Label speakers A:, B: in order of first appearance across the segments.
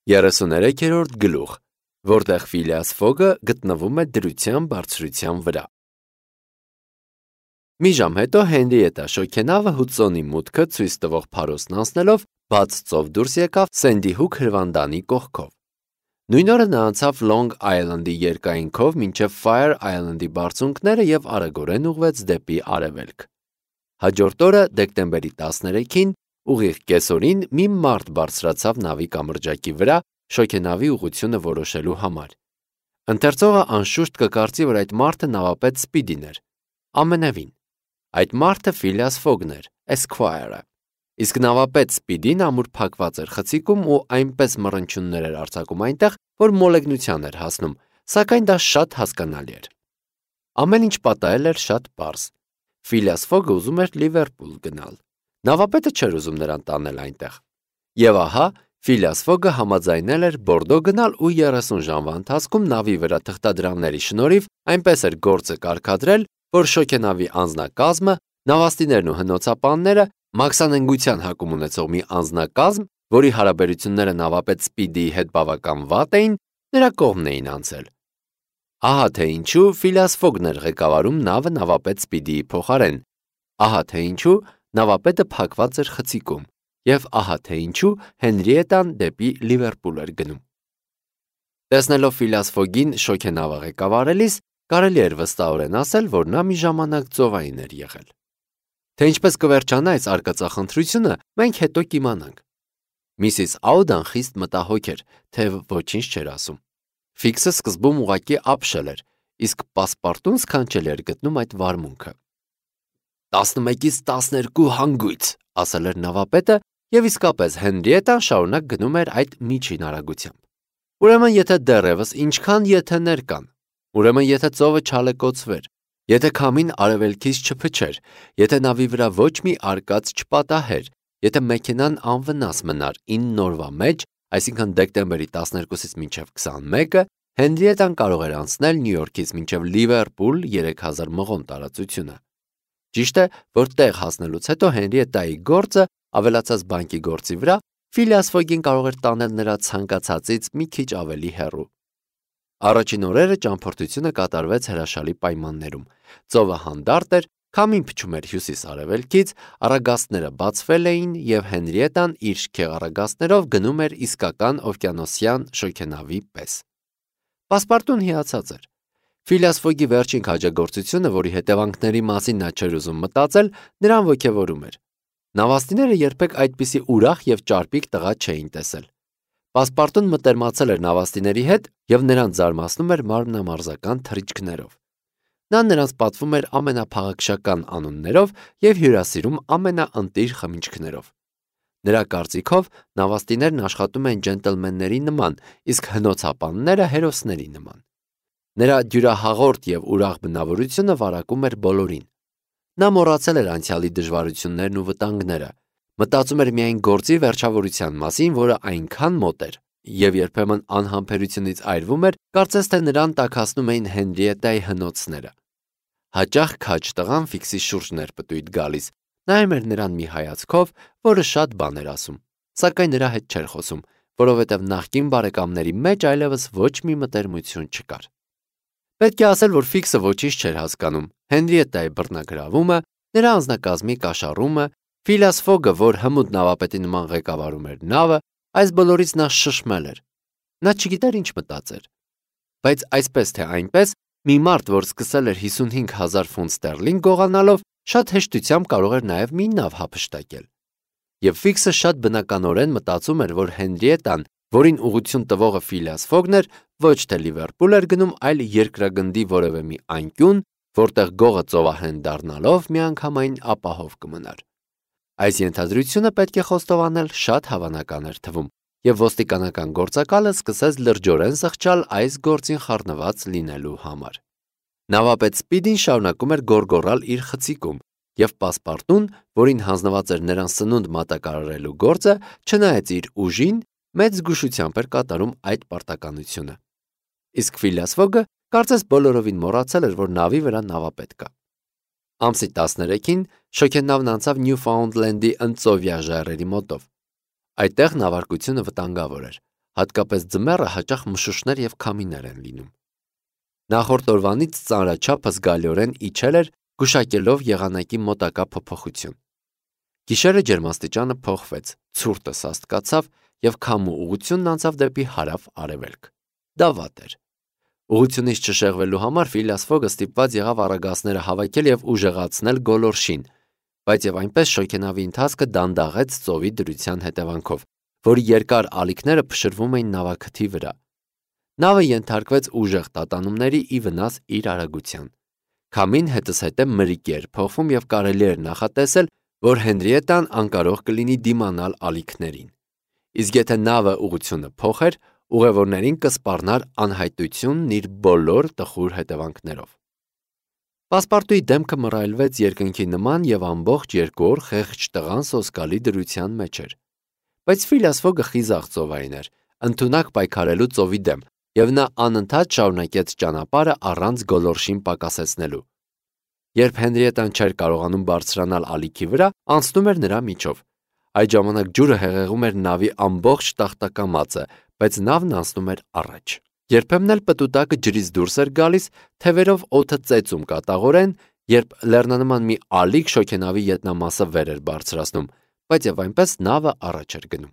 A: 33-րդ գլուխ, որտեղ Ֆիլիաս Ֆոգը գտնվում է դրության բարձրության վրա։ Մի ժամ հետո Հենրիետա շոգենավը Հուդսոնի մուտքը ցույց տվող փարոսն անցնելով բաց ծով դուրս եկավ Սենդի Հուք հրվանդանի կողքով։ Նույն օրը նա անցավ Long Island-ի երկայնքով մինչև Fire Island-ի բարձունքները և արագորեն ուղղվեց դեպի արևելք։ Հաջորդ օրը դեկտեմբերի 13-ին ուղիղ կեսօրին մի մարդ բարձրացավ նավի կամրջակի վրա շոգենավի ուղղությունը որոշելու համար։ Ընթերցողը անշուշտ կկարծի, որ այդ մարդը նավապետ Սպիդին էր։ Ամենևին։ Այդ մարդը Ֆիլիաս Ֆոգն էր, Esquire-ը։ Իսկ նավապետ Սպիդին ամուր փակված էր խցիկում ու այնպես մռնչյուններ էր արձակում այնտեղ, որ մոլեգնության էր հասնում, սակայն դա շատ հասկանալի էր։ Ամեն ինչ պատահել էր շատ պարզ։ Ֆիլիաս Ֆոգը ուզում էր Լիվերպուլ գնալ։ Նավապետը չէր ուզում նրան տանել այնտեղ։ Եվ ահա, Ֆիլիաս Ֆոգը համաձայնել էր Բորդո գնալ ու 30 ժամվա ընթացքում նավի վրա թղթադրամների շնորհիվ այնպես էր գործը կարգադրել, որ շոգենավի անձնակազմը, նավաստիներն ու հնոցապանները, մաքսանենգության հակում ունեցող մի անձնակազմ, որի հարաբերությունները նավապետ Սպիդիի հետ բավական վատ էին, նրա կողմն էին անցել։ Ահա թե ինչու Ֆիլիաս Ֆոգն էր ղեկավարում նավը նավապետ Սպիդիի փոխարեն, ահա թե ինչու նավապետը փակված էր խցիկում, և ահա թե ինչու Հենրիետան դեպի Լիվերպուլ էր գնում։ Տեսնելով Ֆիլիաս Ֆոգին շոգենավը ղեկավարելիս, կարելի էր վստահորեն ասել, որ նա մի ժամանակ ծովային էր եղել։ Թե ինչպես կվերջանա այս արկածախնդրությունը, մենք հետո կիմանանք։ Միսիս Աուդան խիստ մտահոգ էր, թե ոչինչ չէր ասում։ Ֆիքսը սկզբում ուղղակի ապշել էր, իսկ պասպարտուն սքանչելի էր գտնում այդ վարմունքը։ 11-ից 12 հանգույց, ասել էր նավապետը, և իսկապես Հենրիետան շարունակ գնում էր այդ միջին արագությամբ։ Ուրեմն եթե դեռևս ինչքան եթեներ կան, ուրեմն եթե ծովը չալեկոծվեր, եթե քամին արևելքից չփչեր, եթե նավի վրա ոչ մի արկած չպատահեր, եթե մեքենան անվնաս մնար 9 օրվա մեջ, այսինքն դեկտեմբերի 12-ից մինչև 21-ը, Հենրիետան կարող էր անցնել Նյու Յորքից մինչև Լիվերպուլ 3000 մղոն տարածությունը։ Ճիշտ է, որ տեղ հասնելուց հետո Հենրիետայի գործը ավելացած բանկի գործի վրա Ֆիլիաս Ֆոգին կարող էր տանել նրա ցանկացածից մի քիչ ավելի հեռու։ Առաջին օրերը ճամփորդությունը կատարվեց հրաշալի պայմաններում։ Ծովը հանդարտ էր, քամին փչում էր հյուսիս-արևելքից, առագաստները բացվել էին և Հենրիետան իր շքեղ գնում էր իսկական օվկիանոսյան շոգենավի պես։ Պասպարտուն հիացած էր։ Ֆիլիաս Ֆոգի վերջին քաջագործությունը, որի հետևանքների մասին նա չէր ուզում մտածել, նրան ոգևորում էր։ Նավաստիները երբեք այդպիսի ուրախ և ճարպիկ տղա չէին տեսել։ Պասպարտուն մտերմացել էր նավաստիների հետ և նրանց զարմացնում էր մարմնամարզական թռիչքներով։ Նա նրանց պատվում էր ամենափաղաքշական անուններով և հյուրասիրում ամենաընտիր խմիչքներով։ Նրա կարծիքով նավաստիներն աշխատում են ջենտլմենների նման, իսկ հնոցապանները հերոսների նման։ Նրա դյուրահաղորդ և ուրախ բնավորությունը վարակում էր բոլորին։ Նա մոռացել էր անցյալի դժվարություններն ու վտանգները, մտածում էր միայն գործի վերջավորության մասին, որը այնքան մոտ էր, և երբեմն անհամբերությունից այրվում էր, կարծես թե նրան տաքացնում էին Հենրիետայի հնոցները։ Հաճախ քաջ տղան Ֆիքսի շուրջն էր պտույտ գալիս, նայում էր նրան մի հայացքով, որը շատ բան էր ասում, սակայն նրա հետ չէր խոսում, որովհետև նախկին բարեկամների մեջ այլևս ոչ մի մտերմություն չկար։ Պետք է ասել, որ Ֆիքսը ոչինչ չէր հասկանում Հենրիետայի բռնագրավումը, նրա անձնակազմի կաշառումը, Ֆիլիաս Ֆոգը, որ հմուտ նավապետի նման ղեկավարում էր նավը, այս բոլորից նա շշմել էր։ Նա չգիտեր ինչ մտածեր։ Բայց այսպես թե այնպես, մի մարդ, որ սկսել էր 55,000 ֆունտ ստերլինգ գողանալով, շատ հեշտությամբ կարող էր նաև մի նավ հափշտակել։ Եվ Ֆիքսը շատ բնականորեն մտածում էր, որ Հենրիետան, որին ուղղություն տվողը Ֆիլիաս Ֆոգն էր, ոչ թե Լիվերպուլ էր գնում, այլ երկրագնդի որևէ մի անկյուն, որտեղ գողը ծովահեն դառնալով միանգամայն ապահով կմնար։ Այս ենթադրությունը պետք է խոստովանել շատ հավանական էր թվում, և ոստիկանական գործակալը սկսեց լրջորեն զղջալ այս գործին խառնված լինելու համար։ Նավապետ Սպիդին շարունակում էր գոռգոռալ իր խցիկում, և պասպարտուն, որին հանձնված էր նրան սնունդ մատակարարելու գործը, չնայած իր ուժին, մեծ զգուշությամբ էր կատարում այդ պարտականությունը։ Իսկ Ֆիլիաս Ֆոգը կարծես բոլորովին մոռացել էր, որ նավի վրա նավապետ կա։ Ամսի 13-ին շոգենավն անցավ Նյուֆաունդլենդի ընծովյա ժայռերի մոտով։ Այդտեղ նավարկությունը վտանգավոր էր։ հատկապես ձմեռը հաճախ մշուշներ և քամիներ են լինում։ Նախորդ օրվանից ծանրաչափը զգալիորեն իջել էր, գուշակելով եղանակի մոտակա փոփոխություն։ Գիշերը ջերմաստիճանը փոխվեց, ցուրտը սաստկացավ և քամու ուղղությունն անցավ դեպի հարավ-արևելք։ Դա վատ էր։ Ուղղությունից չշեղվելու համար Ֆիլիաս Ֆոգը ստիպված եղավ առագաստները հավաքել և ուժեղացնել գոլորշին, բայց և այնպես շոգենավի ընթացքը դանդաղեց ծովի դրության հետևանքով, որի երկար ալիքները փշրվում էին նավաքթի վրա։ Նավը ենթարկվեց ուժեղ տատանումների ի վնաս իր արագության։ Քամին հետզհետե մրրիկ էր փոխվում և կարելի էր նախատեսել, որ Հենրիետան անկարող կլինի դիմանալ ալիքներին։ Իսկ եթե նավը ուղղությունը փոխեր, ուղևորներին կսպառնար անհայտությունն իր բոլոր տխուր հետևանքներով։ Պասպարտուի դեմքը մռայլվեց երկնքի նման և ամբողջ 2 օր խեղճ տղան սոսկալի դրության մեջ էր։ Բայց Ֆիլիաս Ֆոգը խիզախ ծովային էր, ընդունակ պայքարելու ծովի դեմ, և նա անընդհատ շարունակեց ճանապարհը առանց գոլորշին պակասեցնելու։ Երբ Հենրիետան չէր կարողանում բարձրանալ ալիքի վրա, անցնում էր նրա միջով։ Այդ ժամանակ ջուրը հեղեղում էր նավի ամբողջ տախտակամածը, բայց նավն անցնում էր առաջ։ Երբեմն էլ պտուտակը ջրից դուրս էր գալիս, թևերով օդը ծեծում կատաղորեն, երբ լեռնանման մի ալիք շոգենավի ետնամասը վեր էր բարձրացնում, բայց և այնպես նավը առաջ էր գնում։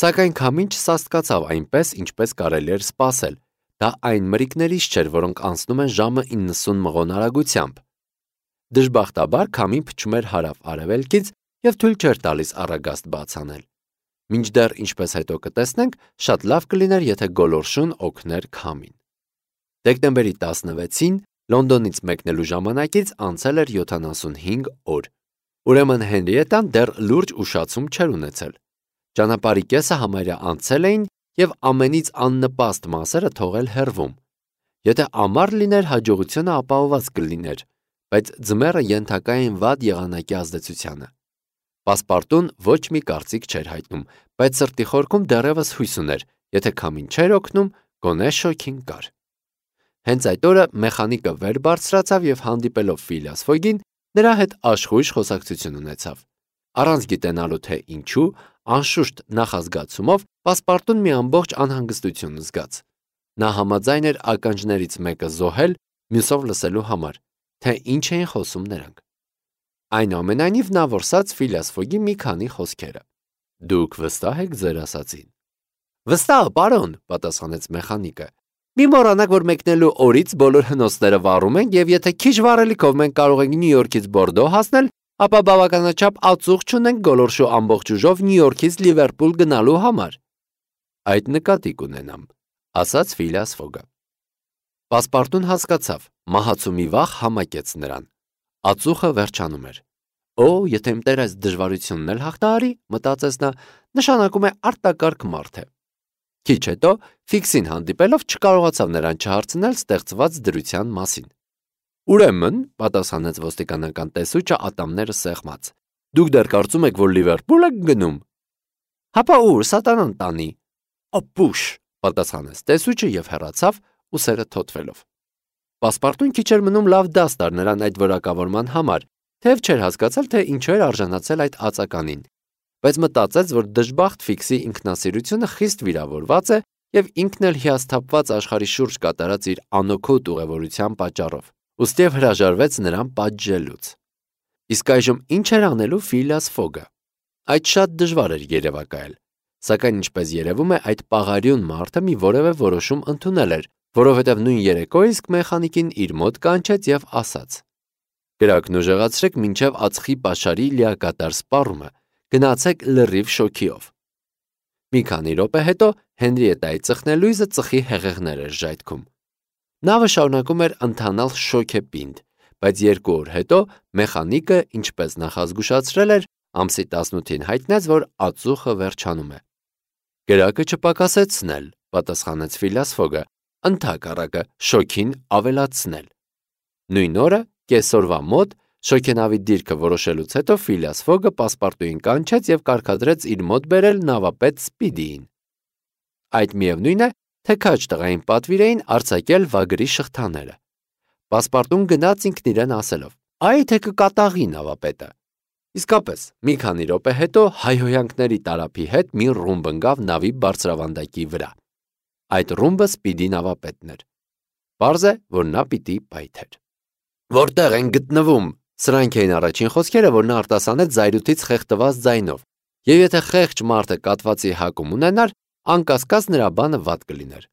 A: Սակայն քամին չսաստկացավ այնպես, ինչպես կարելի էր սպասել։ Դա այն մրրիկներից չէր, որոնք անցնում են ժամը 90 մղոն արագությամբ։ Դժբախտաբար քամին փչում էր հարավ-արևելքից և թույլ չէր տալիս առագաստ բաց անել։ Մինչդեռ, ինչպես հետո կտեսնենք, շատ լավ կլիներ, եթե գոլորշուն օգներ քամին։ Դեկտեմբերի 16-ին Լոնդոնից մեկնելու ժամանակից անցել էր 75 օր։ Ուրեմն Հենրիետան դեռ լուրջ ուշացում չէր ունեցել։ Ճանապարհի կեսը համարյա անցել էին և ամենից աննպաստ մասերը թողել հեռվում։ Եթե ամառ լիներ, հաջողությունը ապահովված կլիներ, բայց ձմեռը ենթակա էին վատ եղանակի ազդեցությանը։ Պասպարտուն ոչ մի կարծիք չէր հայտնում, բայց սրտի խորքում դեռևս հույս ուներ, եթե քամին չէր օգնում, գոնե շոգին կար։ Հենց այդ օրը մեխանիկը վեր բարձրացավ և հանդիպելով Ֆիլիաս Ֆոգին, նրա հետ աշխույժ խոսակցություն ունեցավ։ Առանց գիտենալու թե ինչու, անշուշտ նախազգացումով, Պասպարտուն մի ամբողջ անհանգստություն զգաց։ Նա համաձայն էր ականջներից մեկը զոհել, մյուսով լսելու համար, թե ինչ էին խոսում նրանք։ Այնուամենայնիվ նա որսաց Ֆիլիաս Ֆոգի մի քանի խոսքերը։ Դուք վստահ եք ձեր ասածին։ Վստահ, պարոն, պատասխանեց մեխանիկը։ Մի մոռանաք, որ մեկնելու օրից բոլոր հնոցները վառում ենք, և եթե քիչ վառելիքով մենք կարող ենք Նյու Յորքից Բորդո հասնել, ապա բավականաչափ ածուխ չունենք գոլորշու ամբողջ ուժով Նյու Յորքից Լիվերպուլ գնալու համար։ Այդ նկատի կունենամ, ասաց Ֆիլիաս Ֆոգը։ Պասպարտուն հասկացավ, մահացու մի վախ համակեց նրան։ Ածուխը վերջանում էր։ Օ, եթե իմ տեր այս դժվարությունն էլ հաղթահարի, մտածեց նա, նշանակում է արտակարգ մարդ է։ Քիչ հետո Ֆիքսին հանդիպելով չկարողացավ նրան չհարցնել ստեղծված դրության մասին։ Ուրեմն, պատասխանեց ոստիկանական տեսուչը ատամները սեղմած, դուք դեռ կարծում եք, որ Լիվերպուլ եք գնում։ Հապա ուր, սատանան տանի։ Ապուշ, պատասխանեց տեսուչը և հեռացավ, ուսերը թոթվելով։ Պասպարտուն քիչ էր մնում լավ դաս տար նրան այդ որակավորման համար, թեև չէր հասկացել, թե ինչու էր արժանացել այդ ածականին, բայց մտածեց, որ դժբախտ Ֆիքսի ինքնասիրությունը խիստ վիրավորված է և ինքն էլ հիասթափված աշխարհի շուրջ կատարած իր անօգուտ ուղևորության պատճառով, ուստիև հրաժարվեց նրան պատժելուց։ Իսկ այժմ ինչ էր անելու Ֆիլիաս Ֆոգը։ Այդ շատ դժվար էր երևակայել, սակայն ինչպես երևում է, այդ պաղարյուն մարդը մի որևէ որոշում ընդունել էր, որովհետև նույն երեկո իսկ մեխանիկին իր մոտ կանչեց և ասաց. Կրակն ուժեղացրեք մինչև ածխի պաշարի լիակատար սպառումը, գնացեք լրիվ շոգիով։ Մի քանի րոպե հետո Հենրիետայի ծխնելույզը ծխի հեղեղներ էր ժայթքում։ Նավը շարունակում էր ընթանալ շոգեպինդ, բայց 2 օր հետո մեխանիկը, ինչպես նախազգուշացրել էր, ամսի 18-ին հայտնեց, որ ածուխը վերջանում է։ Կրակը չպակասեցնել, պատասխանեց Ֆիլիաս Ֆոգը, ընդհակառակը շոգին ավելացնել։ Նույն օրը, կեսօրվա մոտ, շոգենավի դիրքը որոշելուց հետո Ֆիլիաս Ֆոգը Պասպարտուին կանչեց և կարգադրեց իր մոտ բերել նավապետ Սպիդիին։ Այդ միևնույն է, թե քաջ տղային պատվիր էին արձակել վագրի շղթաները։ Պասպարտուն գնաց ինքն իրեն ասելով. Այ թե կկատաղի նավապետը։ Իսկապես, մի քանի րոպե հետո հայհոյանքների տարափի հետ մի ռումբ ընկավ նավի բարձրավանդակի վրա։ Այդ ռումբը Սպիդի նավապետն էր։ Պարզ է, որ նա պիտի պայթեր։ Որտեղ են գտնվում։ Սրանք էին առաջին խոսքերը, որ նա արտասանեց զայրույթից խեղդված ձայնով, եւ եթե խեղճ մարդը կատվածի հակում ունենար, անկասկած նրա բանը վատ կլիներ։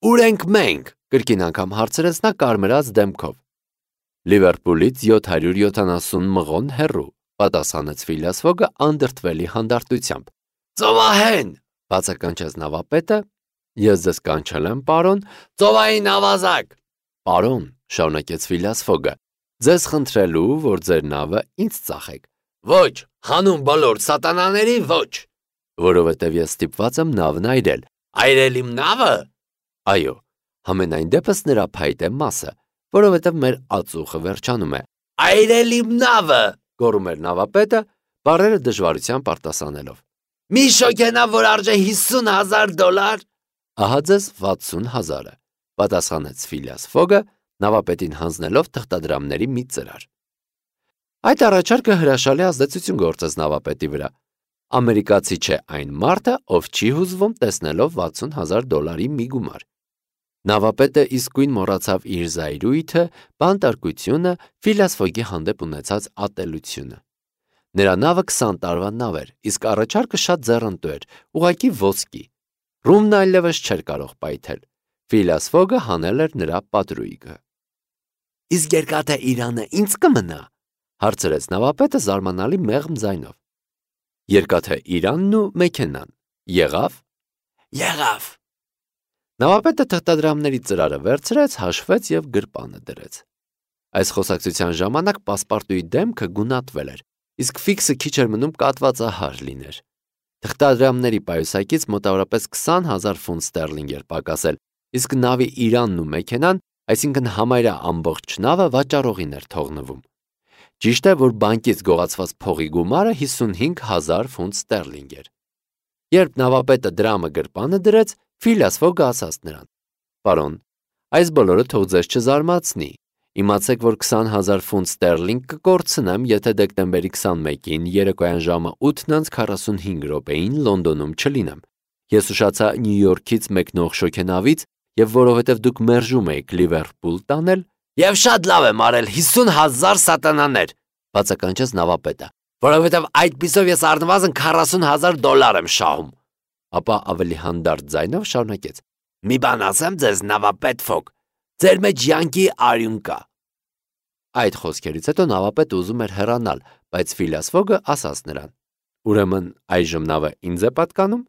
A: Ուր ենք մենք, կրկին անգամ հարցրեց նա կարմրած դեմքով։ Լիվերպուլից 770 մղոն հեռու, պատասխանեց Ֆիլիաս Ֆոգը անդրդվելի հանդարտությամբ։ Ծովահեն, բացականչեց նավապետը, ես ձեզ կանչել եմ, պարոն, ծովային ավազակ։ Պարոն, շարունակեց Ֆիլիաս Ֆոգը, ձեզ խնդրելու, որ ձեր նավը ինձ ծախեք։ Ոչ, հանուն բոլոր սատանաների ոչ, որովհետև ես ստիպված եմ նավն այրել։ Այրել իմ նավը։ Այո, համենայն դեպս նրա փայտե մասը, որովհետև մեր ածուխը վերջանում է։ Այրել իմ նավը, գոռում էր նավապետը, բառերը դժվարությամբ արտասանելով։ Մի շոգենավ, որ արժե $50,000։ Ահա ձեզ 60,000-ը, պատասխանեց Ֆիլիաս Ֆոգը, նավապետին հանձնելով թղթադրամների մի ծրար։ Այդ առաջարկը հրաշալի ազդեցություն գործեց նավապետի վրա։ Ամերիկացի չէ այն մարդը, ով չի հուզվում տեսնելով $60,000 մի գումար։ Նավապետը իսկույն մոռացավ իր զայրույթը, բանտարկությունը, Ֆիլիաս Ֆոգի հանդեպ ունեցած ատելությունը։ Նրա նավը 20 տարվա նավ էր, իսկ առաջարկը շատ ձեռնտու էր, ուղղակի ոսկի։ Ռումն այլևս չէր կարող պայթել։ Ֆիլիաս Ֆոգը հանել էր նրա պատրույգը։ Իսկ երկաթե Իրանը ինձ կմնա, հարցրեց նավապետը զարմանալի մեղմ ձայնով։ Երկաթե Իրանն ու մեքենան։ Եղավ։ Եղավ։ Նավապետը թղթադրամների ծրարը վերցրեց, հաշվեց եւ գրպանը դրեց։ Այս խոսակցության ժամանակ պասպարտուի դեմքը գունատվել էր, իսկ ֆիքսը քիչ էր մնում կատվածահար լիներ։ Թղթադրամների պայուսակից մոտավորապես 20,000 ֆունտ ստերլինգ էր պակասել, իսկ նավի Իրանն ու մեքենան, այսինքն համարյա ամբողջ նավը վաճառողին էր թողնվում։ Ճիշտ է, որ բանկից գողացված փողի գումարը 55,000 ֆունտ ստերլինգ էր։ Երբ նավապետը դրամը գրպանը դրեց, Ֆիլիաս Ֆոգը ասաց նրան. Պարոն, այս բոլորը թող ձեզ չզարմացնի։ Իմացեք, որ 20,000 ֆունտ ստերլինգ կկորցնեմ, եթե դեկտեմբերի 21-ին երեկոյան ժամը 8:45 Լոնդոնում չլինեմ։ Ես ուշացա Նյու Յորքից մեկնող շոգենավից, եւ որովհետեւ դուք մերժում եք Լիվերպուլ տանել, եւ շատ լավ եմ արել 50,000 սատանաներ, բացականչեց նավապետը, որովհետեւ այդպիսով ես առնվազն $40,000 եմ շահում։ Ապա ավելի հանդարտ ձայնով շարունակեց. Մի բան ասեմ ձեզ, նավապետ Ֆոգ, ձեր մեջ յանքի արյուն կա։ Այդ խոսքերից հետո նավապետը ուզում էր հեռանալ, բայց Ֆիլիաս Ֆոգը ասաց նրան. Ուրեմն այժմ նավը ինձ է պատկանում։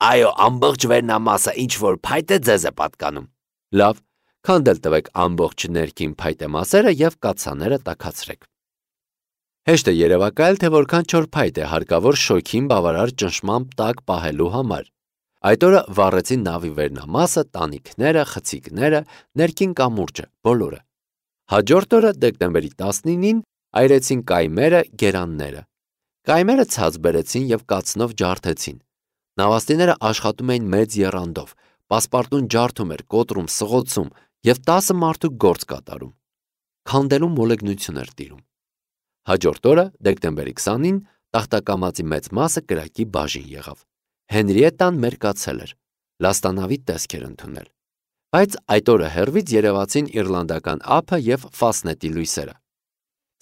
A: Այո, ամբողջ վերնամասը, ինչ որ փայտ է, ձեզ է պատկանում։ Լավ, քանդել տվեք ամբողջ ներքին փայտե մասերը եւ կաթսաները տաքացրեք։ Հեշտ է երևակայել, թե որքան չոր փայտ է հարկավոր շոգին բավարար ճնշմամբ տակ պահելու համար։ Այդ օրը վառեցին նավի վերնամասը, տանիքները, խցիկները, ներքին կամուրջը, բոլորը։ Հաջորդ օրը դեկտեմբերի 19-ին այրեցին կայմերը, գերանները։ Կայմերը ցած բերեցին եւ կացնով ջարդեցին։ Նավաստիները աշխատում էին մեծ եռանդով, պասպարտուն ջարդում էր, կոտրում, սղոցում եւ 10 մարդու գործ կատարում։ Քանդելու մոլեգնություն էր տիրում։ Հաջորդ օրը, դեկտեմբերի 20-ին, տախտակամածի մեծ մասը կրակի բաժին եղավ։ Հենրիետան մերկացել էր, լաստանավի տեսք էր ընդունել։ Բայց այդ օրը հեռվից երևացին իռլանդական ափը եւ Ֆասնետի լույսերը։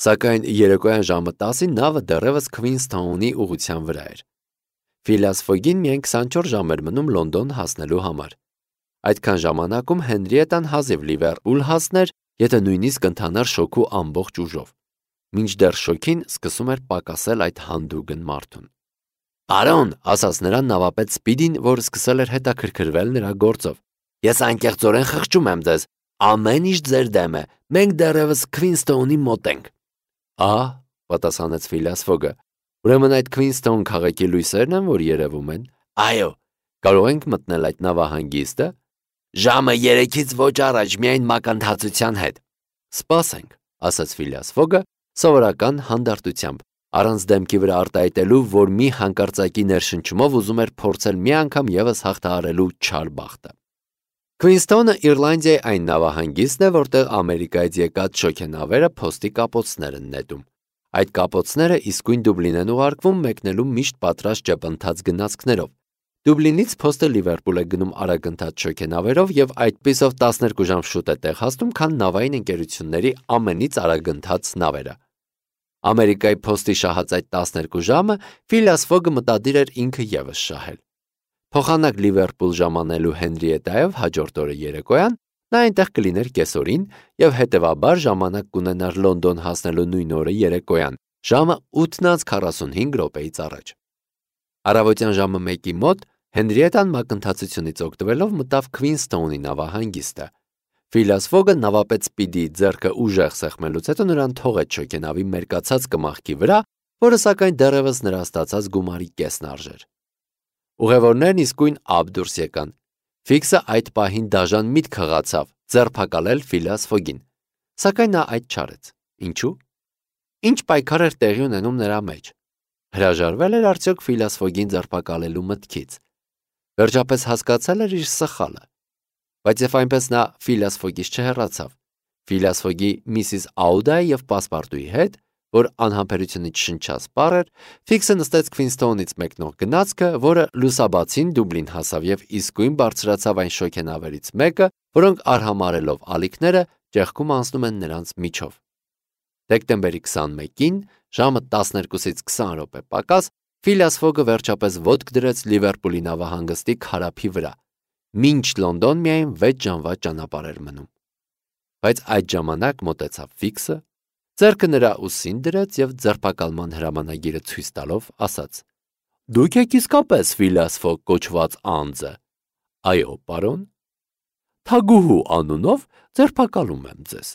A: Սակայն երեկոյան ժամը 10-ին նավը դեռևս Քվինսթաունի ուղղության վրա էր։ Ֆիլիաս Ֆոգին միայն 24 ժամ էր մնում Լոնդոն հասնելու համար։ Այդքան ժամանակում Հենրիետան հազիվ Լիվերպուլ հասներ, եթե նույնիսկ ընթանար շոկու ամբողջ ուժով։ Մինչդեռ շոքին սկսում էր պակասել այդ հանդուգն մարդուն։ Պարոն, ասաց նրան նավապետ Սպիդին, որ սկսել էր հետաքրքրվել նրա գործով։ Ես անկեղծորեն խղճում եմ ձեզ, ամեն ինչ ձեր դեմ է, մենք դեռևս Քվինսթոունի մոտ ենք։ Ահա, պատասխանեց Ֆիլիաս Ֆոգը, ուրեմն այդ Քվինսթոուն քաղաքի լույսերն են, որ երևում են։ Այո, կարող ենք մտնել այդ նավահանգիստը։ Ժամը 3-ից ոչ առաջ, միայն մակընթացության հետ։ Սպասենք, ասաց Ֆիլիաս Ֆոգը սովորական հանդարտությամբ, առանց դեմքի վրա արտահայտելու, որ մի հանկարծակի ներշնչումով ուզում էր փորձել մի անգամ եւս հաղթահարելու չար բախտը։ Քվինսթոնը Իռլանդիայի այն նավահանգիստն է, որտեղ Ամերիկայից եկած շոգենավերը փոստի կապոցներ են նետում։ Այդ կապոցները իսկույն Դուբլին են ուղարկվում մեկնելու միշտ պատրաստ ճեպընթաց գնացքներով։ Դուբլինից փոստը Լիվերպուլ է գնում արագընթաց շոգենավերով եւ այդպիսով 12 ժամ շուտ է տեղ հասնում, քան նավային ընկերությունների ամենից արագընթաց նավերը։ Ամերիկայի փոստի շահած այդ 12 ժամը Ֆիլիաս Ֆոգը մտադիր էր ինքը ևս շահել։ Փոխանակ Լիվերպուլ ժամանելու Հենրիետայով հաջորդ օրը երեկոյան նա այնտեղ կլիներ կեսօրին եւ հետեւաբար ժամանակ կունենար Լոնդոն հասնելու նույն օրը երեկոյան, ժամը 8:45 րոպեից առաջ։ Առավոտյան ժամը 1-ի մոտ Հենրիետան մակընթացությունից օգտվելով մտավ Քվինսթոունի նավահանգիստը։ Ֆիլիաս Ֆոգը նավապետ Սպիդի ձեռքը ուժեղ սեղմելուց հետո նրան թողեց շոգենավի մերկացած կմախքի վրա, որը սակայն դեռևս նրա ստացած գումարի կեսն արժեր։ Ուղևորներն իսկույն ափ դուրս եկան։ Ֆիքսը այդ պահին դաժան միտք հղացավ ձերբակալել Ֆիլիաս Ֆոգին, սակայն նա այդ չարեց։ Ինչու՞։ Ինչ պայքար էր տեղի ունենում նրա մեջ։ Հրաժարվել էր արդյոք Ֆիլիաս Ֆոգին ձերբակալելու մտքից։ Վերջապես հասկացել էր իր սխալը։ Բայց եւ այնպես նա Ֆիլիաս Ֆոգից չհեռացավ։ Ֆիլիաս Ֆոգի Միսիս Աուդայի եւ պասպարտուի հետ, որ անհամբերությունից շնչասպառ էր, Ֆիքսը նստեց Քվինսթոունից մեկնող գնացքը, որը լուսաբացին Դուբլին հասավ եւ իսկույն բարձրացավ այն շոգենավերից մեկը, որոնք արհամարելով ալիքները ճեղքում անցնում են նրանց միջով։ Դեկտեմբերի 21-ին, ժամը 12-ից 20 րոպե պակաս, Ֆիլիաս Ֆոգը վերջապես ոտք դրեց Լիվերպուլի նավահանգստի քարափի վրա։ Մինչ Լոնդոն միայն 6 ժամվա ճանապարհ էր մնում։ Բայց այդ ժամանակ մոտեցավ Ֆիքսը, ձեռքը նրա ուսին դրեց եւ ձերբակալման հրամանագիրը ցույց տալով ասաց. «Դուք եք իսկապես Ֆիլիաս Ֆոգ կոչված անձը»։ «Այո, պարոն»։ «Թագուհու անունով ձերբակալում եմ ձեզ»։